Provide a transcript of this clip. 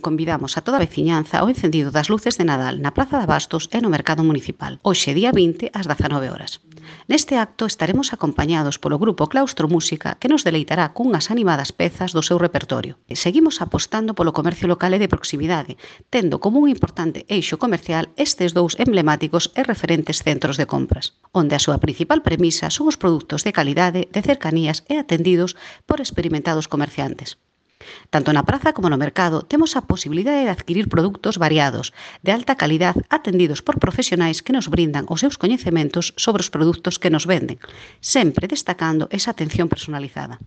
Convidamos a toda a veciñanza ao encendido das luces de Nadal na Praza de Abastos e no Mercado Municipal, hoxe día 20 ás 19 horas. Neste acto estaremos acompañados polo grupo Claustro Música que nos deleitará cunhas animadas pezas do seu repertorio. Seguimos apostando polo comercio local e de proximidade, tendo como un importante eixo comercial estes dous emblemáticos e referentes centros de compras, onde a súa principal premisa son os produtos de calidade, de cercanías e atendidos por experimentados comerciantes. Tanto na praza como no mercado temos a posibilidade de adquirir produtos variados, de alta calidad, atendidos por profesionais que nos brindan os seus coñecementos sobre os produtos que nos venden, sempre destacando esa atención personalizada.